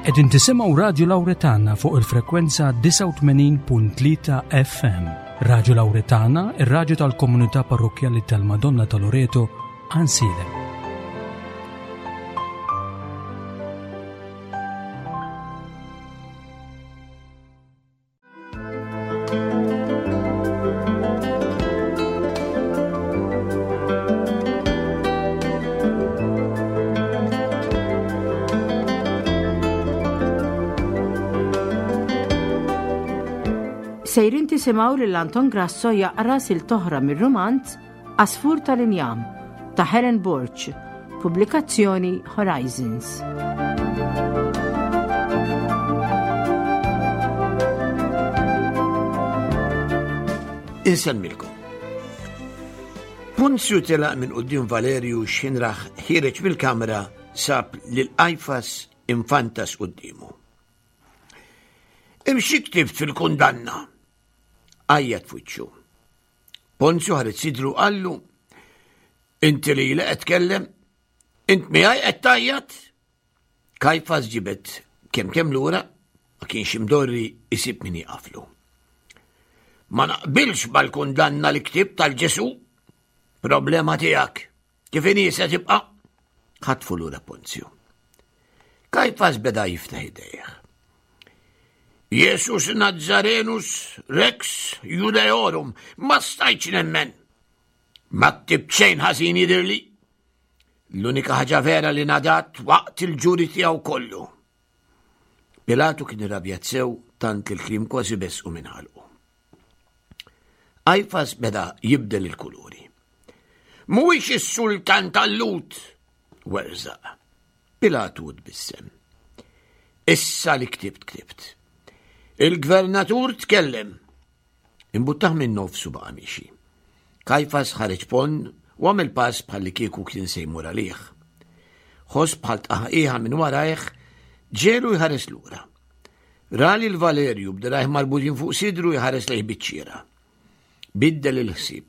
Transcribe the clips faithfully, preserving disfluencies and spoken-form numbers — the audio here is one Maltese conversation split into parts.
Qegħdin tisimgħu Radju Lawretana fuq il-frekwenza disgħa u tmenin punt tlieta F M. Radju Lawretana, ir-radju tal-Komunità Parrokkjali tal-Madonna ta' Loreto, Għajnsielem. Sejrin tisimgħu lil Anton Grasso jaqra silta oħra mir-rumanz Għasfur tal-Injam ta' Helen Borg, pubblikazzjoni Horizons. Insellmilkom. Ponzju telaq minn quddiem Valerju x'ħin rah ħiereġ mill-kamra, sab lil Kajfas imfantas quddiemu. "Imxi, ktibt fil-kundanna?" għajjat f'wiċċu. Ponzju ħareġ sidru, qallu: "Inti li li qed tkellem, int miegħi qed tgħajjat?" Kajfas ġibed kemm kemm lura, ma kienx imdorri isib min jaqaflu. "Ma naqbilx mal-kundanna li ktibt għal Ġesù." "Problema tiegħek, kif inhi se tibqa'," ħatfu lura Ponzju. Kajfas beda jiftaħ idejh. "Jesus Nazarenus Rex Judeorum, ma stajtx nemmen. Ma ktibt xejn ħażin jidhirli. L-unika ħaġa vera li ngħadat waqt il-ġuri tiegħu kollu." Pilatu kien irrabjat sew tant li l-kliem kważi besqu minn ħalqu. Kajfas beda jibdel il-kuluri. "Mhuwiex is-sultan tal-Lhud," werżaq. Pilatu tbissem. "Issa li ktibt ktibt. Il-gvernatur tkellem." Imbuttah minn nofsu, baqa' miexi. Kajfas ħareġ ponn u għamel pass bħal li kieku kien se jmur għalih. Ħoss bħal tqaħqiħa minn warajh ġiegħlu jħares lura. Ra lil Valerju b'dirgħajh marbutin fuq sidru jħares lejh biċ-ċiera. Biddel il-ħsieb.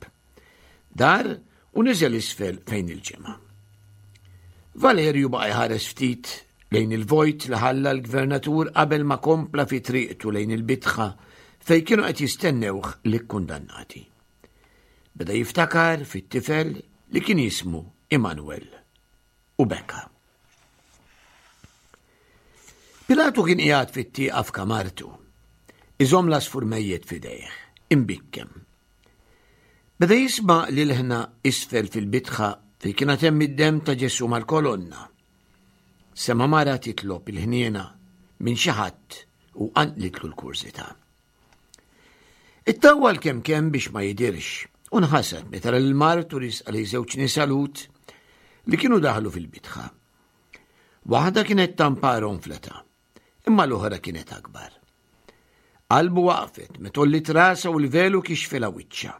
Dar u niżel isfel fejn il-ġemgħa. Valerju baqa' jħares ftit lejn il-vojt li ħalla l-gvernatur qabel ma kompla fi triqtu lejn il-bitħa fej kienu qed jistennewh l-kundannati. Beda jiftakar fit-tifel li kien jismu Immanuel u beka. Pilatu kien qiegħed fit-tieqa f'kamartu. Iżomm l-għasfur mejjet f'idejh, imbikkem. Beda jisma' l-ilħna isfel fil-bitħa fej kien hemm id-dem ta' Ġesu mal-kolonna. Sema' mara titlob il-ħniena minn xi ħadd u qanqlitlu l-kurżità. Ittawwal kemm kemm biex ma jidirx u nħasad meta l-martu riesqa lejn żewġ nisa Lhud li kienu daħlu fil-bitħa. Waħda kienet tamparon fl-età, imma l-oħra kienet akbar. Qalbu waqfet meta għolliet rasha u l-velu kixfilha wiċċha.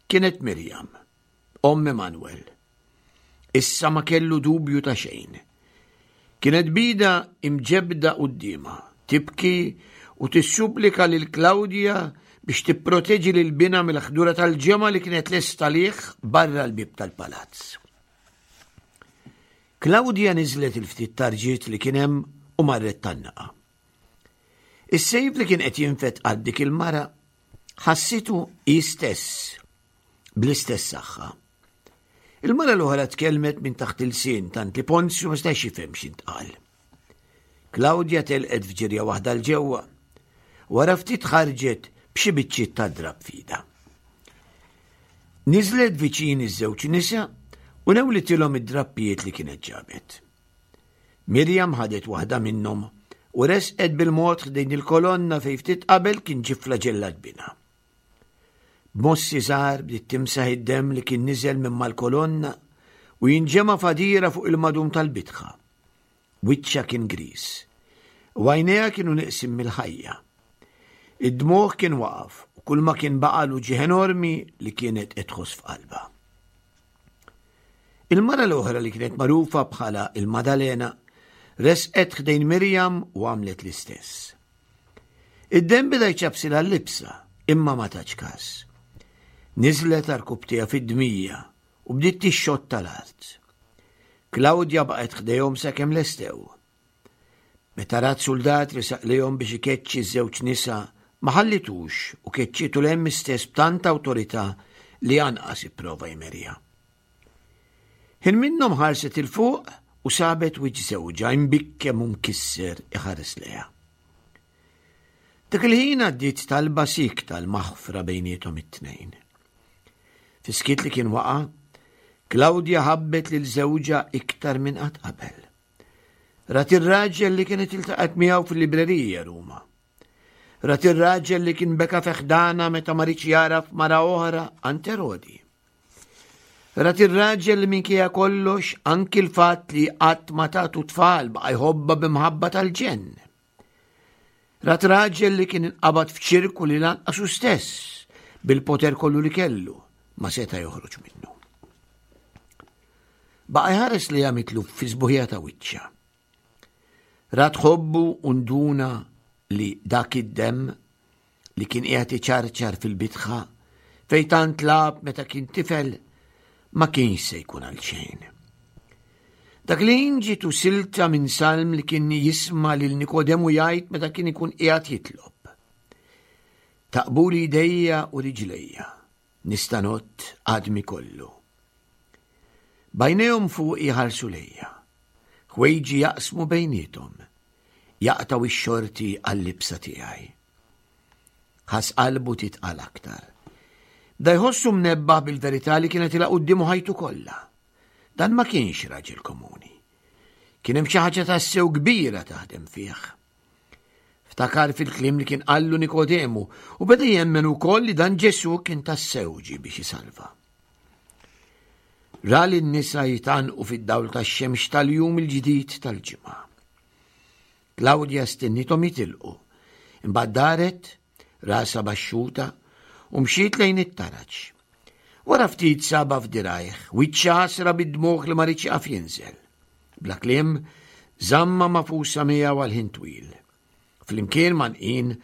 Kienet Mirjam, omm Emanuel. Issa ma kellu dubju ta' xejn. Kienet b'idha imġebbda quddiemha, tibki u tissupplika lil Claudia biex tipproteġi lil binha mill-ħdura tal-ġemgħa li kienet lesta għalih barra l-bib tal-palazz. Claudia niżlet il-ftit tarġiet li kien hemm u marret tgħannaqha. Is-sejf li kien qed jinfed għal dik il-mara ħassitu hi stess bl-istess saħħa. Il-mara l-oħra tkellmet minn taħt l-ilsien tant li Ponzju ma stax jifhem x'intqal. Claudia telqet f'ġirja waħda 'l ġewwa. Wara ftit ħarġet b'xi biċċiet ta' drab f'idha. Niżlet viċin iż-żewġ nisa u newlitilhom id-drappijiet li kienet ġabet. Mirjam ħadet waħda minnhom u resqet bil-mod ħdejn il-kolonna fej ftit qabel kien ġie flaġellat binha. B'mossi żgħar bdiet timsaħ id-dem li kien niżel minn mal-kolonna u jinġema' f'għadira fuq il-madum tal-bitħa. Wiċċha kien gris. U għajnejha kienu neqsin mill-ħajja. Id-dmugħ kien waqaf u kull ma kien baqagħlu uġigħ enormi li kienet qed tħoss f'qalbha. Il-mara l-oħra, li kienet magħrufa bħala il-Madalena, resqet ħdejn Mirjam u għamlet l-istess. Id-dem beda jċapsilha l-libsa, imma ma tatx kas. Niżlet għarkupptejha fid-dmija u bdiet tixxotta l-art. Claudia baqgħet ħdejhom sakemm lestew. Meta rat suldat resaq lejhom biex ikeċċi ż-żewġ nisa, ma ħallitux u keċċietu 'l hemm istess b'tant awtorità li anqas ipprova jmerja. Ħin minnhom ħarset 'il fuq u sabet wiċċ żewġha imbikkem u mkisser iħares lejha. Dak il-ħin għaddiet talba siekta l-maħfra bejniethom it-tnejn. Fis-skiet li kien waqa', Klawdja ħabbet lil żewġha iktar minn qatt qabel. Rat ir-raġel li kienet iltaqgħet miegħu fil-librerija Ruma. Rat ir-raġel li kien beka fi ħdanha meta ma riedx jagħraf mara oħra għand Erodi. Rat ir-raġel li minkejja kollox anki l-fatt li qatt ma tatu tfal baqa' jħobbha b'imħabba tal-ġenn. Rat raġel li kien inqabad f'ċirku li lanqas hu stess bil-poter kollu li kellu ma seta' joħroġ minnu. Baqa' jħares lejha mitluf fis-sbuħija ta' wiċċha. Rat ħobbu u nduna li dak id-demm li kien qiegħed iċarċar fil-bitħa fejn tant lagħab meta kien tifel ma kienx se jkun għal xejn. Dak li ġietu silta minn salm li kien jisma' lil Nikodemu jgħid meta kien ikun qiegħed jitlob. Taqbuli idejja u riġlejja, nista' ngħodd għadmi kollu. B'għajnejhom fuqi jħarsu lejja, ħwejġi jaqsmu bejniethom, jaqtgħu x-xorti għal-libsa tiegħi. Ħass qalbu titqal aktar. Bda jħossu mnebbaħ bil-verità li kienet ilha quddiemu ħajtu kollha. Dan ma kienx raġel komuni. Kien hemm xi ħaġa tassew kbira taħdem fih. Ftakar fil-kliem li kien qallu Nikodemu u beda jemmen ukoll li dan Ġesù kien tassew ġie biex isalva. Ra lin-nisa jitgħannqu fid-dawl tax-xemx tal-jum il-ġdid tal-ġimgħa. Klawdja stennithom jitilqu, imbagħad daret, rasha baxxuta, u mxiet lejn it-taraġ. Wara ftit sabha f'dirajh, wiċċha għasra bid-dmugħ li ma riedx jaqaf jinżel. Bla kliem, żammha magħfusa miegħu għal ħin twil. Flimkien mgħannqin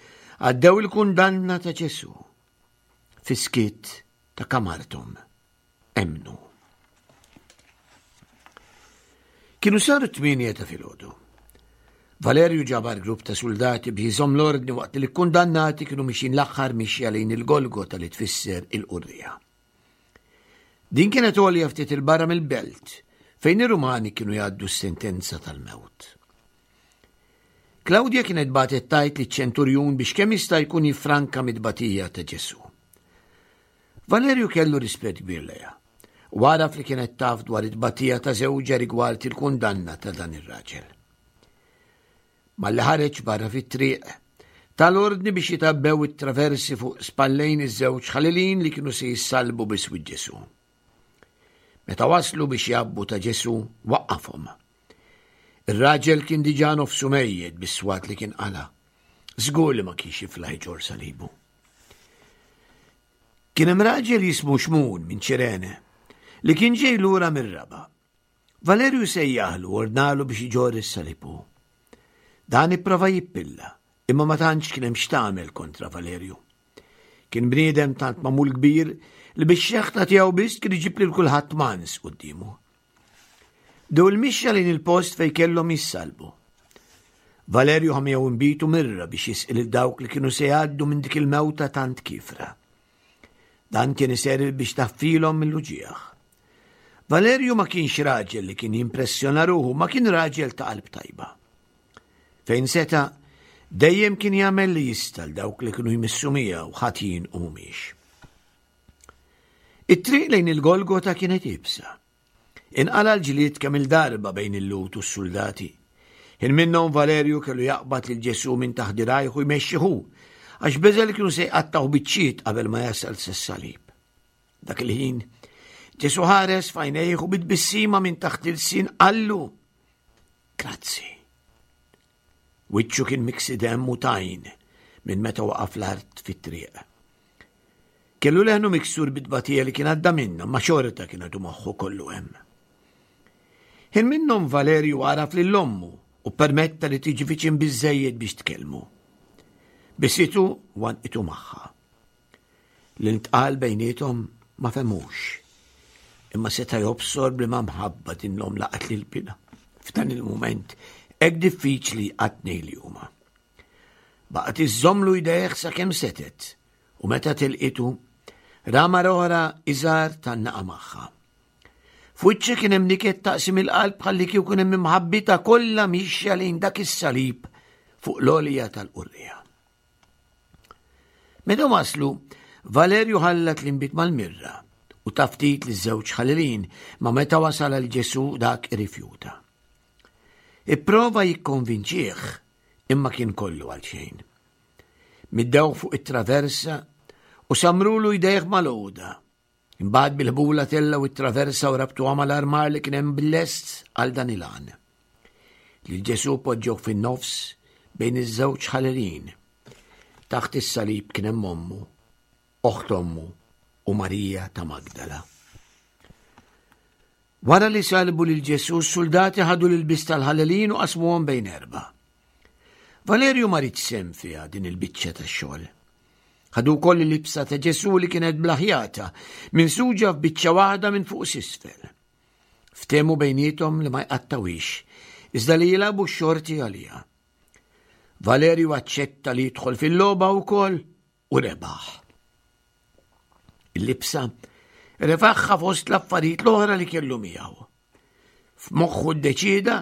għaddew il-kundanna ta' Ġesù. Fis-skiet ta' kamarthom emmnu. Kienu saru t-tmienja ta' filgħodu. Valerju ġabar grupp ta' suldati biex jżomm l-ordni waqt li l-kundannati kienu mixin l-aħħar mixja lejn il-Golgota li tfisser il-Qurrija. Din kienet għolja ftit il-barra mill-belt fejn ir-Rumani kienu jgħaddu s-sentenza tal-mewt. Klawdja kienet bagħtet tgħid liċ-ċenturjun biex kemm jista' jkun jiffranka mid-tbatija ta' Ġesù. Valerju kellu rispett kbir lejha u għaraf li kienet taf dwar it-tbatija ta' żewġha rigward il-kundanna ta' dan ir-raġel. Malli ħareġ barra fit-triq, tal-ordni biex jitabbew it-traversi fuq spallejn iż-żewġ ħalilin li kienu se jissalbu biswit Ġesù. Meta waslu biex jgħabbu ta' Ġesù, waqqafhom. Ir-raġel kien diġà nofsu mejjet bis-swat li kien qala. Żgur li ma kienx jiflaħ iġorr salibu. Kien hemm raġel jismu Xmun minn Ċirene li kien ġej lura mir-raba'. Valerju sejjaħlu u ordnalu biex iġorr is-salib hu. Dan ipprova jippilla, imma ma tantx kien hemm x'tagħmel kontra Valerju. Kien bniedem tant magħmul kbir li bix-xeħta tiegħu biss kien iġib lil kulħadd mans quddiemu. Bdew il-mixja lejn il-post fejn kellhom jissalbu. Valerju ħa miegħu nbid u mirra biex jisqi lil dawk li kienu se jgħaddu minn dik il-mewta tant kiefra. Dan kien iservi biex taffilhom mill-uġigħ. Valerju ma kienx raġel li kien jimpressjona ruħu, ma kien raġel ta' qalb tajba. Fejn seta', dejjem kien jagħmel li jista' l dawk li kienu jmissu miegħu ħatin u mhumiex. It-triq lejn il-Golgota kienet iebsa. Inqala' l-ġlied kemm il-darba bejn il-Lhud u s-suldati. Ħin minnhom Valerju kellu jaqbad lil Ġesù minn taħt dirajh u jmexxi hu, għax beża' li kienu se jqattgħuh biċċiet qabel ma jasal sas-salib. Dak il-ħin, Ġesù ħares f'għajnejh u bit-tbissima minn taħt il-sin qallu, Grazzi. Wiċċu kien miksi demm u tajn minn meta waqaf l-art fit-triq. Kellu leħnu miksur bit-tbatija li kien għadda minnha, ma xorta kien għadu moħħu kollu hemm. Ħin minnhom Valerju għaraf lil ommu u permetta li tiġi viċin biżżejjed biex tkellmu. Bisitu u għanqitu magħha. Li ntqal bejniethom ma fehmux, imma seta' jobsor b'liema mħabba din l-omm laqat lil binha f'dan il-mument Hekk diffiċli għat-tnejn li huma. Baqgħet iżżommlu jdejh sakemm setgħet u meta tilqitu ra mara oħra iżgħar tgħannaqa magħha. F'wiċċha kien hemm niket taqsim il-qalb bħalli kieku kien hemm imħabbitha kollha mixja lejn dak is-salib fuq l-għolja tal-Qurriegħa. Meta waslu, Valerju ħallat l-inbid mal-mirra u ta ftit liż-żewġ ħallelin, ma meta wasal għal Ġesù dak irrifjuta. Ipprova jikkonvinċih imma kien kollu għal xejn. Middewh fuq it-traversa u samrulu jdejh mal-għoda. Imbagħad bil-ħbula tellgħu it-traversa u rabtuha mal-armar li kien hemm bil-lest għal dan il-għan. Lil Ġesù poġġew fin-nofs bejn iż-żewġ ħallelin. Taħt is-salib kien hemm ommu, oħt ommu u Marija ta' Magdala. Wara li salbu lil Ġesù, s-soldati ħadu l-ilbies tal-ħallelin u qasmuhom bejn erba'. Valerju ma riedx sehem fiha din il-biċċa tax-xogħol. Ħadu wkoll il-libsa ta' Ġesù li kienet bla ħjata, minsuġa f'biċċa waħda minn fuq s'isfel. Ftehmu bejniethom li ma jqattgħuhiex, iżda li jilagħbu x-xorti għaliha. Valerju aċċetta li jidħol fil-logħba wkoll u rebaħ. Il-libsa refagħha fost l-affarijiet l-oħra li kellu miegħu. F'moħħu ddeċida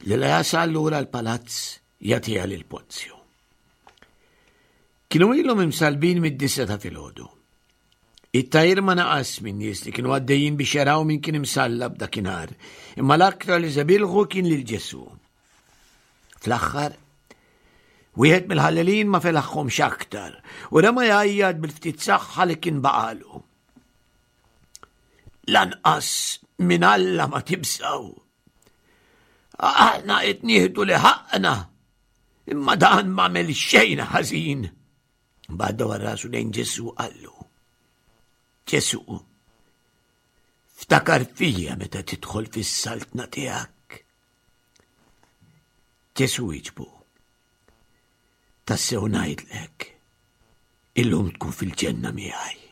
li la jasal lura l-palazz jagħtiha lil Ponzju. Kienu ilhom imsalbin mid-disgħa ta' filgħodu. It-tgħajjir ma naqas minn nies li kienu għaddejjin biex jaraw min kien imsallab dakinhar, imma l-aktar li żebilħu kien lil Ġesù. Fl-aħħar, wieħed mill-ħallelin ma felaħhomx aktar u rema jgħajjat bil-ftit saħħa li kien baqalu. Lanqas minn Alla ma tibżgħu. Aħna qed nieħdu li ħaqna, imma dan ma għamel xejn ħażin. Mbagħad dawar rasu lejn Ġesù qallu. Ġesù, ftakar fija meta tidħol fis-saltna tiegħek. Ġesù wieġbu. Tassew ngħidlek, illum tkun fil-ġenna miegħi.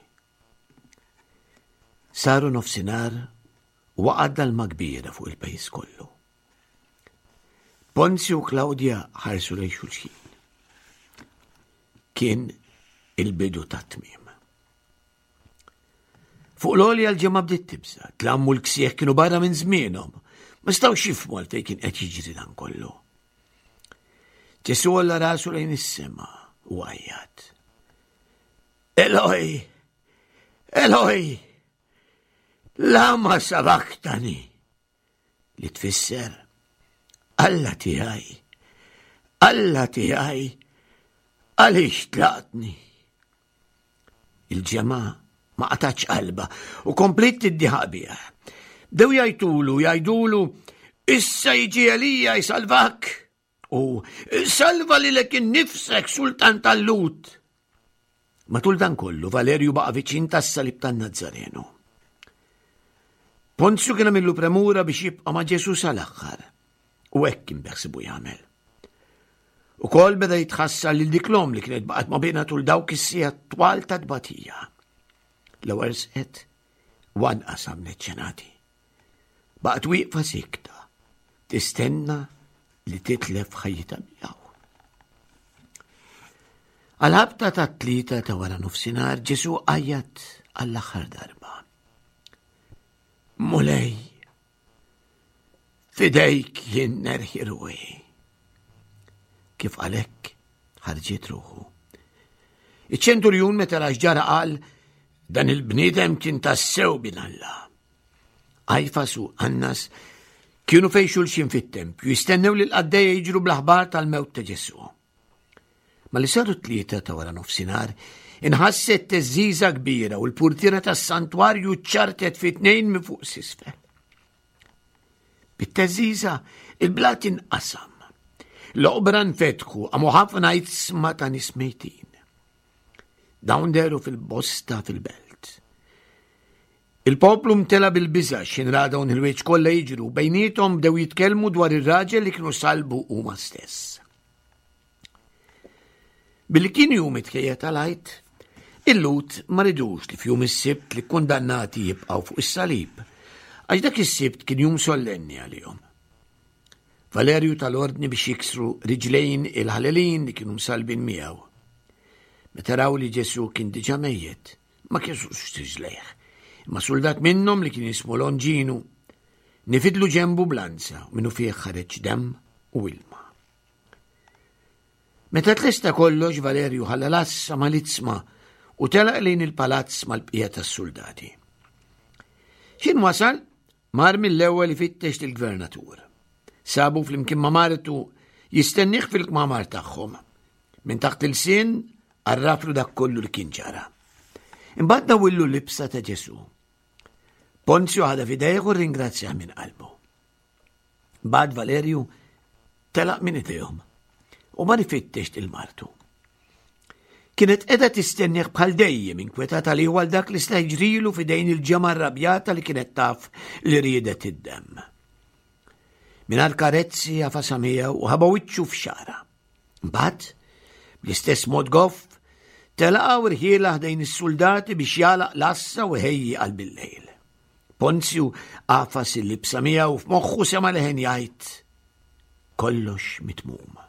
Saru nofsinhar u waqgħet dalma kbira fuq il-pajjiż kollu. Ponzju u Klawdja ħarsu lejn xulxin. Kien il-bidu tat-tmiem. Fuq l-għolja l-ġemgħa bdiet tibża', dlam u l-ksieħ kienu barra minn żmienhom. Ma setgħux jifhmu għalfejn kien qed jiġri dan kollu. Ġesù għolla rasu lejn is-sema u għajjat. Eloi, Eloi, lama sabaktani, li tfisser Alla tiegħi, Alla tiegħi, għaliex tlaqtni? Il-ġemgħa ma qatgħetx qalbha u kompliet tiddieħaq bih. Bdew jgħajtulu, jgħidulu, issa jiġi Elija jsalvak. U salva lilek innifsek sultan tal-Lhud. Matul dan kollu, Valerju baqa' viċin tas-salib tan-Nazzarenu. Ponzju kien għamillu premura biex jibqa' ma' Ġesù sal-aħħar. U hekk kien beħsibu jagħmel. Ukoll beda jitħassar lil dik l-omm li kienet baqgħet ma' binha tul dawk is-sigħat twal ta' tbatija. L-ewwel sqet u anqas għamlet xenati. Baqgħet wieqfa sikta, tistenna li titlef ħajjitha miegħu. Għal-ħabta ta' tlieta ta' wara nofsinhar Ġesù għajjat għall-aħħar darba. Mulej, f'idejk jien nerħi ruħi. Kif qal hekk ħarġet ruħu. Iċ-ċenturjun meta ra x'ġara qal dan il-bniedem kien tassew bin Alla. Kajfas u Annas kienu fejn xulxin fit-tempju, jistennew li l-qaddejja jiġru bl-aħbar tal-mewt ta' Ġesù. Malli saru tlieta ta' wara nofsinhar, inħasset theżżiża kbira u l-purtiera tas-santwarju ċartet fi tnejn minn fuq s'isfel. Bit-theżżiża il-blat inqasam. L-oqbra nfetħu qamu ħafna iġsma ta' nies mejtin. Dawn dehru fil-bosta fil-belt. Il-poplu mtela bil-biża' x'ħin ra dawn il-ħwejjeġ kollha jiġru, bejniethom bdew jitkellmu dwar ir-raġel li kienu salbu huma stess. Billi kien jum it-tħejjija tal-Għid, il-Lhud ma ridux li f'jum is-Sibt li kundannati jibqgħu fuq is-salib, għax dak is-Sibt kien jum sollenni għalihom. Valerju tal-ordni biex jiksru riġlejn il-ħalelin li kienu msalbin miegħu. Meta raw li Ġesu kien diġà mejjet, ma kisrux riġlejh. Imma suldat minnhom li kien jismu Longinu nifidlu ġembu b'lanza u minnufih ħareġ demm u ilma. Meta tlesta kollox, Valerju ħalla l-għassa mal-itzma u telaq lejn il-palazz mal-bqija tas-soldati. X'ħin wasal, mar mill-ewwel ifittex lill-gvernatur. Sabu flimkien ma' martu jistennih fil-kmamar tagħhom. Minn taħt il-sin għarraflu dak kollu li kien ġara. Imbagħad nawillu libsa ta' Ġesu. Ponzju ħadha f'idejh u rringrazzjah minn qalbu. Bad Valerju telaq minn idejhom u mar ifittex lil martu. Kienet qiegħda tistennih bħal dejjem, inkwetata li għal dak li sta jiġrilu f'idejn il-ġemgħa rrabjata li kienet taf li riedet id-demm. Mingħajr karezzi għafasha miegħu u ħaba wiċċu f'xagħarha. Mbagħad, bl-istess mod goff, telaq u rħielha ħdejn is-soldati biex jagħlaq l-għassa u ħejji għal bil-lejl. Ponzju għafas il-libsa miegħu u f'moħħu sema' leħen jgħid: "Kollox mitmum."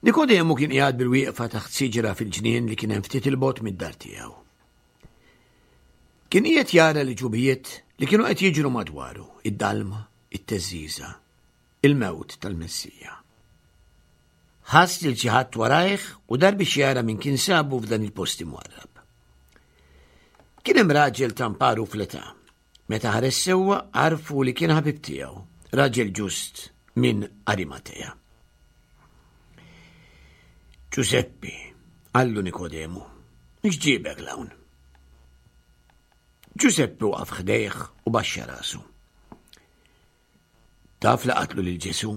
Nikodemu kien qiegħed bil-wieqfa taħt siġra fil-ġnien li kien hemm ftit il-bogħod mid-dar tiegħu. Kien qiegħed jara l-ġubijiet li kienu qed jiġru madwaru, id-dalma, it-teżżiża, il-mewt tal-Messija. Ħass lil xi ħadd warajh u dar biex jara min kien sabu f'dan il-post imwarrab. Kien hemm raġel tamparu fl-età. Meta ħares sewwa għarfu li kien ħabib tiegħu, raġel ġust minn Arimatea. Ġuseppi, qallu Nikodemu, x'ġiebek 'l hawn? Ġuseppi waqaf ħdejh u baxxa rasu. Taf li qatlu lil Ġesu,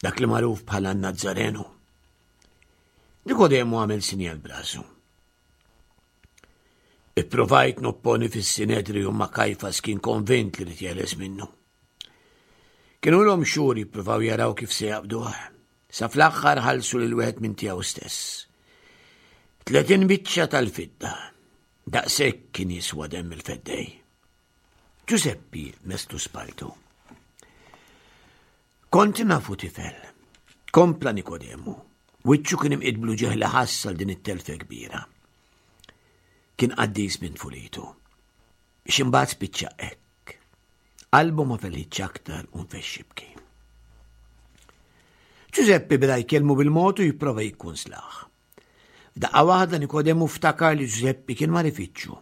dak li magħruf bħala Nazzarenu. Nikodemu għamel sinjal b'rasu. Ipprovajt nopponi fis-Sinedriju, imma Kajfas kien konvint li jeħles minnu. Kienu ilhom xhur jippruvaw jaraw kif se jaqbduh. Sa fl-aħħar ħallsu lil wieħed minn tiegħu stess. Tletin biċċa tal-fidda. Daqshekk kien jiswa demm il-feddej. Ġuseppi meslu spalltu. Kont nafu tifel. Kompla Nikodemu. Wiċċu kien imqid bl-uġigħ li ħass għal din it-telfa kbira. Kien qaddis minn tfulitu. Biex imbagħad spiċċa hekk. Qalbu ma felħitx aktar u nfexx jibki. Ġużeppi beda jkellmu bil-mod u jipprova jikkunsilah. F'daqqa waħda Nikodemu ftakar li Ġużeppi kien mar ifittxu.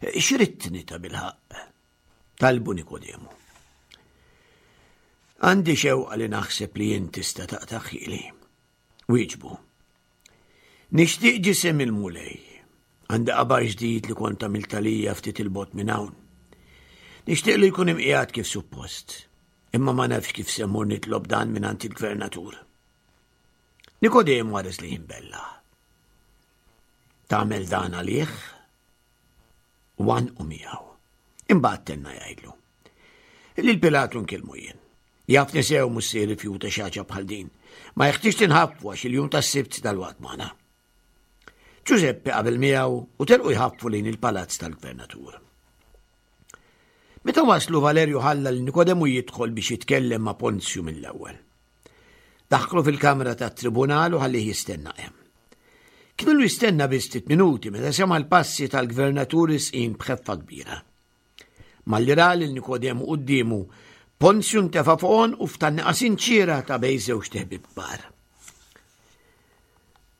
X'ridtni tabilħaqq? Talbu Nikodemu. Għandi xewqa li naħseb li jien tista' taqtagħhieli. Wieġbu. Nixtieq ġisem il-Mulej. Għandi qabar ġdid li kont għamilt għalija ftit il-bogħod minn hawn. Nixtieq li jkun imqiegħed kif suppost. Imma ma nafx kif se mmur nitlob dan minn il-gvernatur. Nikodemu ħares lejh imbellah. Tagħmel dan għalih? U għannqu miegħu. Imbagħad tenna jgħidlu. Lil Pilatu nkellmu jien. Jafni sew mhux se jirrifjuta xi ħaġa bħal din. Ma jeħtieġx tinħaffu għax il-jum tas-Sibt dalwaqt magħna. Ġużeppi qabel miegħu u telqu jħaffu lejn il-palazz tal-gvernatur. Meta waslu, Valerju ħalla lil Nikodemu jidħol biex jitkellem ma' Ponzju mill-ewwel. Daħlu fil-kamra tat-tribunal u ħallih jistenna hemm. Kien ilu jistenna biss ftit minuti meta sema' l-passi tal-gvernatur resqin b'ħeffa kbira. Malli ra lil Nikodemu quddiemu, Ponzju ntefa' fuq għonqu f'tgħanniqa sinċiera ta' bejn żewġt iħbieb kbar.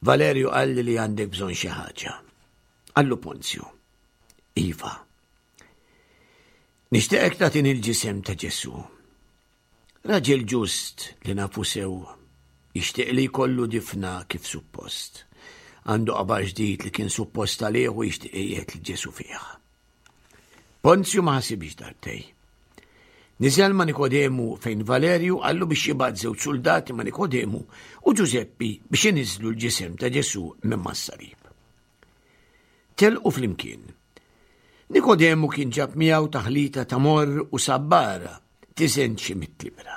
Valerju qalli li għandek bżonn xi ħaġa. Qallu Ponzju. Iva. Nixtieqek tagħtini l-ġisem ta' Ġesu. Raġel ġust li nafu sew, jixtieq li jkollu difna kif suppost. Għandu qabar ġdid li kien suppost għalih u jixtieq iqiegħed lil Ġesu fih. Ponzju ma ħasibx darbtejn. Niżel ma' Nikodemu fejn Valerju qallu biex jibgħat żewġ soldati ma' Nikodemu u Ġużeppi biex iniżlu l-ġisem ta' Ġesu minn mas-salib. Telqu flimkien. Nikodemu kien ġab miegħu taħlita ta' morr u sabbara tiżen xi mitt libra.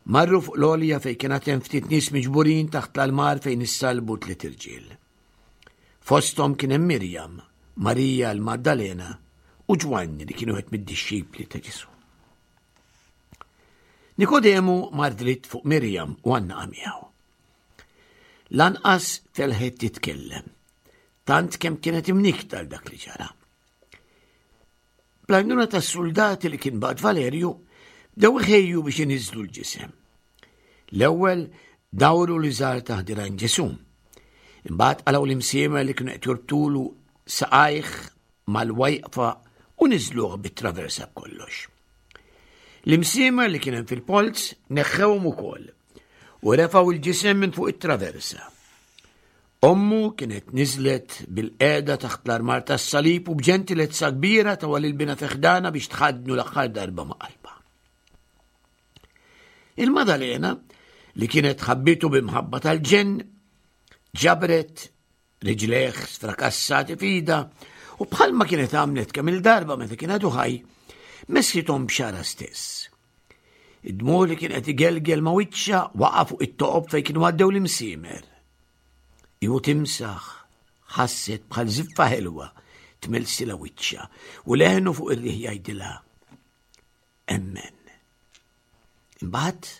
Marru fuq l-għolja fejn kien hemm ftit nies miġburin taħt l-almar fejn issalbu tliet irġiel. Fosthom kien hemm Mirjam, Marija l-Maddalena u Ġwanni li kienu qed mid-dixxipli ta' Ġesu. Nikodemu mar dritt fuq Mirjam u għannaqa miegħu. Lanqas felħet titkellem, tant kemm kienet imnikta għal dak li ġara. Bl-għajnuna tas-soldati li kien bagħat Valerju, bdew iħejju biex iniżlu l-ġisem. L-ewwel dawru l-iżar taħt dirgħajn Ġesù. Imbagħad qalgħu l-imsiemer li kienu qed jorbtulu saqajh mal-wajqfa u niżluh bit-traversa b'kollox. L-imsiemer li kien hemm fil-polz neħħewhom ukoll u refgħu l-ġisem minn fuq it-traversa. Ommu kienet niżlet bil-qeda taħt l-armar tas-salib u b'ġentilezza kbira tawha lil binha fi ħdanha biex tħaddnu l-aħħar darba ma' qalbha. Il-Madalena, li kienet ħabbitu b'imħabba tal-ġenn, ġabret riġlejh sfrakassati f'idha u bħalma kienet għamlet kemm il-darba meta kien għadu ħaj, messithom b'xagħarha stess. Id-dmugħ li kien qed igelgel ma' wiċċha waqa' fuq it-toqob fejn kienu għaddew l-imsiemer. Iu timsaħ ħasset bħal żiffa ħelwa tmellsilha wiċċha u leħnu fuq ir-riħ jgħidilha emmen. Imbagħad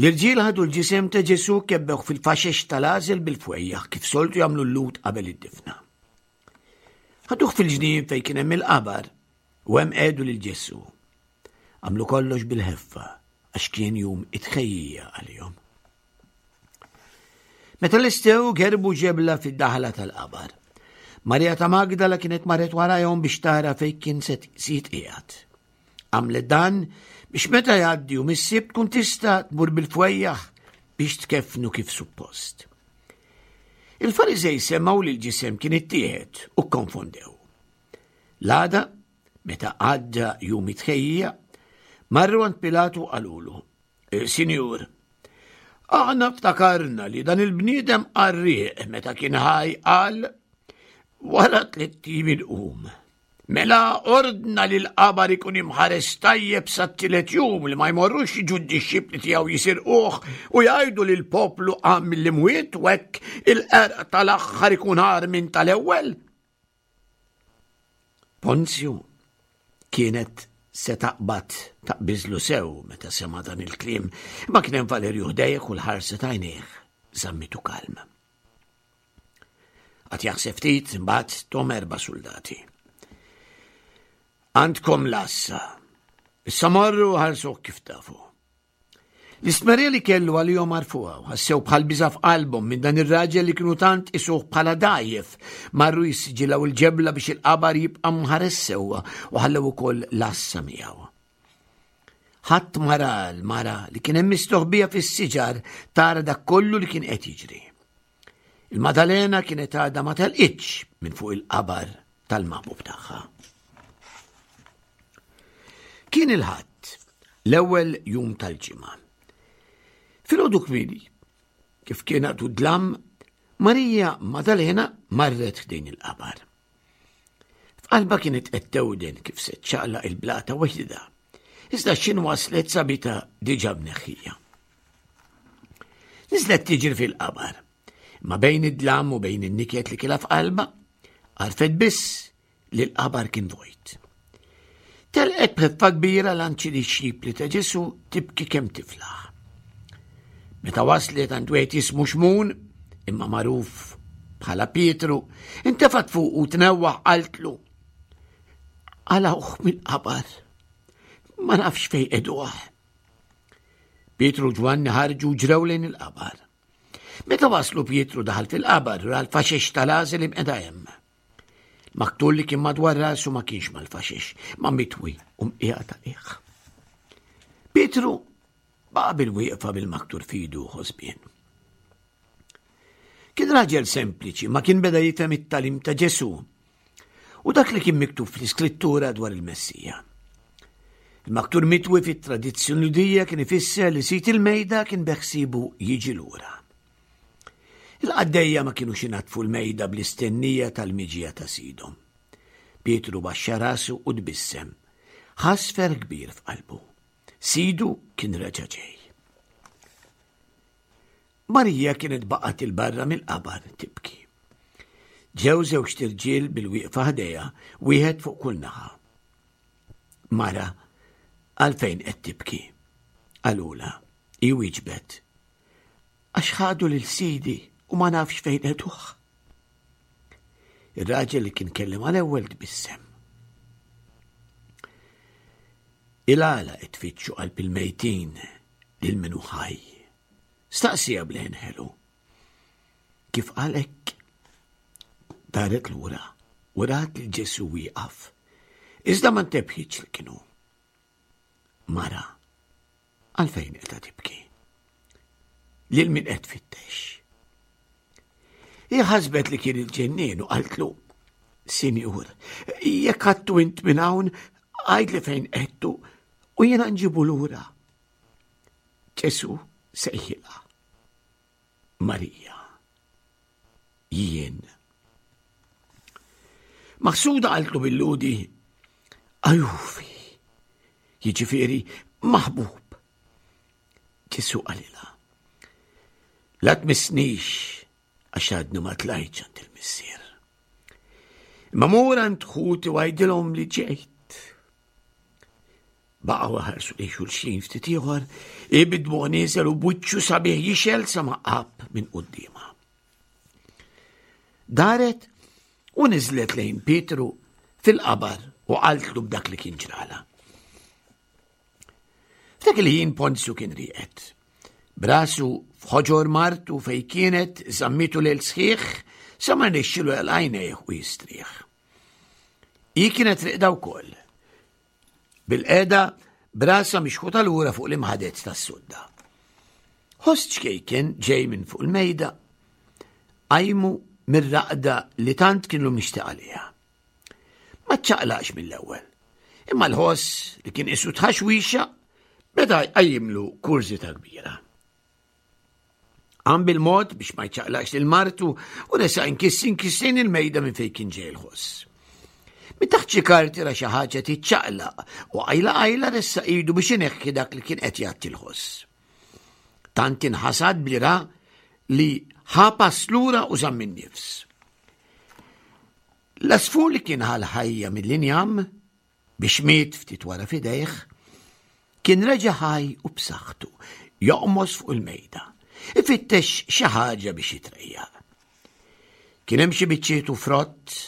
l-irġiel ħadu l-ġisem ta' Ġesù kebbewh fil-faxex tal-għażel bil-fwejjaħ kif soltu jagħmlu l-Lhud qabel id-difna. Ħaduh fil-ġnien fejn kien hemm il-qabar u hemm qiegħdu lil Ġesù. Għamlu kollox bil-ħeffa għax kien jum it-tħejjija għalihom. Meta lestew gerbu ġebla fid-daħla tal-qabar. Marija ta' Magdala kienet marret warajhom biex tara fejn kien se jitqiegħed. Għamlet dan biex meta jgħaddi jum is-Sibt tkun tista' tmur bil-fwejjaħ biex tkeffnu kif suppost. Il-Fariżej semgħu li l-ġisem kien ittieħed u kkonfondew. L-għada, meta għadda jum it-tħejjija, marru għand Pilatu qalulu, e, Sinjur, aħna ftakarna li dan il-bniedem qarrieq meta kien ħaj qal wara tliet ijiem inqum. Mela ordna li l-qabar ikun imħares tajjeb sat-tielet jum li ma jmorrux jiġu d-dixxipli tiegħu jisirquh u jgħidu li l-poplu qam mill-imwiet u hekk il-qerq tal-aħħar ikun agħar minn tal-ewwel. Ponzju kienet se taqbad taqbiżlu sew meta sema' dan il-kliem, imma kien hemm Valerju ħdejh u l-ħarsa t'għajnejh żammitu kalm. Qagħad jaħseb ftit imbagħad tahom erba' soldati. Għandkom l-għassa. Issa morru ħarsuh kif tafu. L-istmerrija li kellu għalihom għarfuha u ħassew bħal biża' f'qalbhom minn dan ir-raġel li kienu tant qisuh bħala dgħajjef. Marru jissiġillaw il-ġebla biex il-qabar jibqa' mħares sewwa u ħallew ukoll l-għassa miegħu. Ħadd ma ra l-mara li kien hemm mistoħbija fis-siġar tara dak kollu li kien qed jiġri. Il-Madalena kienet għadha ma telqitx minn fuq il-qabar tal-maħbub tagħha. Kien il-Ħadd, l-ewwel jum tal-ġimgħa. Filgħodu kmieni, kif kien għadu dlam, Marija Madalena marret ħdejn il-qabar. F'qalba kienet qed tewden kif se ċċaqlaq il-blata waħedha. Iżda x'ħin waslet sabitha diġà mneħħija. Niżlet tiġri fil-qabar. Ma bejn id-dlam u bejn in-niket li kilha f'qalba, għarfet biss li l-qabar kien vojt. Telqet b'ħeffa kbira għand xi dixxipli ta' Ġesù tibki kemm tiflaħ. Meta waslet għand wieħed jismu Xmun, imma magħruf bħala Pietru, intefat fuq u tnewwaħ qaltlu. Qalgħuh mill-qabar, ma nafx fejn qegħduh. Pietru u Ġwanni ħarġu ġrew lejn il-qabar. Meta waslu Pietru daħal fil-qabar ra l-faxex tal-għażel imqiegħda hemm. Maktur li kien madwar rasu ma kienx mal-faxex, ma mitwi u mqiegħed għalih. Pietru baqa' bil-wieqfa bil-maktur f'idu ħosbien. Kien raġel sempliċi, ma kien beda jifhem it-tagħlim ta' Ġesù u dak li kien miktub fl-Iskrittura dwar il-Messija. Il-maktur mitwi fit-tradizzjoni Lhudija kien ifisser li sid il-mejda kien beħsibu jiġi lura. Il-qaddejja ma kienux inaddfu l-mejda bl-istennija tal-miġija ta' sidhom. Pietru baxxa rasu u tbissem. Ħass ferħ kbir f'qalbu. Sidu kien reġa' ġej. Marija kienet baqgħet il-barra mill-qabar tibki. Ġew żewġt irġiel bil-wieqfa ħdejha, wieħed fuq kull naħa. Mara, għalfejn qed tibki? Qalulha, hi wieġbet. Għax ħadu lil sidi u ma nafx fejn qegħduh. Ir-raġel li kien kellimha l-ewwel tbissem. Il-għala qed tfittxu qalb il-mejtin lil min hu ħaj. Staqsieha b'leħen ħelu. Kif qal hekk, daret lura u rat lil Ġesù wieqaf. Iżda ma ntebħitx li kien hu. Mara, għalfejn qiegħda tibki? Lil min qed tfittex? Hi ħasbet li kien il-ġennien u qaltlu, Sinjur, jekk ħadtu int minn hawn, għidli fejn qegħedtu u jiena nġibu lura. Ġesù sejħilha. Marija. Jien. Maħsuda qaltlu bil-Lhudi, Ajufi, jiġifieri maħbub. Ġesù qalilha, La tmissnix għax għadni ma tlajtx għand il-Missier. Imma mur għand ħuti u għidilhom li ġejt. Baqgħu ħarsu lejn xulxin ftit ieħor, ibidmu nieżel u b'wiċċu sabiħ jixgħel sa ma għab minn quddiemha. Daret u niżlet lejn Pietru fil-qabar u qaltlu b'dak li kien ġrala. F'dak il-ħin Ponzju kien rieqed. Brasu f'ħoġor martu fej kienet żammitu lejl sħiħ sa ma nixxilu għajnejh u jistrieħ. Hi kienet riqda wkoll. Bil-qeda brasa mixħuta lura fuq l-imħadet tas-sodda. Ħoss ċkejken ġej minn fuq il-mejda qajmu mir-raqda li tant kienu mixtieq għaliha. Ma ċċaqlaqx mill-ewwel. Imma l-ħoss li kien isu tħaxwixa beda jqajjimlu kurżità kbira. Qam bil-mod biex ma jċaqlaqx lil martu u resaq inkiss inkiss lejn il-mejda minn fejn kien ġej il-ħoss. Minn taħt xi karti ra xi ħaġa tiċċaqlaq u qajla qajla ressaq idu biex ineħħi dak li kien qed jgħatti l-ħoss. Tant inħasad bli ra li ħa pass lura u żamm in-nifs. L-għasfur li kien ħa l-ħajja mill-injam biex miet ftit wara f'idejh, kien reġa' ħaj u b'saħħtu joqmos fuq il-mejda, ifittex xi ħaġa biex jitrejjaq. Kien hemm xi biċċiet u frott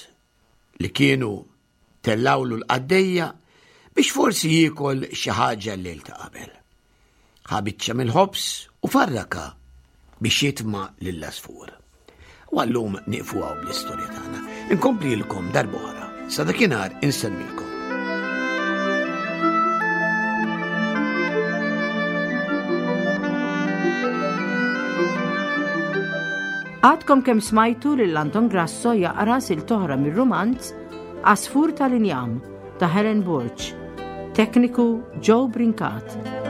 li kienu tellawlu l-qaddejja biex forsi jiekol xi ħaġa l-lejl ta' qabel. Ħa biċċa mill-ħobż u farraka biex jitma' lill-għasfur. U għallum nieqfu hawn bl-istorja tagħna. Inkomplilkom darb'oħra. Sa dakinhar insellmilkom. Għadkom kemm smajtu lil Anton Grasso jaqra silta oħra mir-rumanz Għasfur tal-Injam ta' Helen Borg. Tekniku Joe Brincat.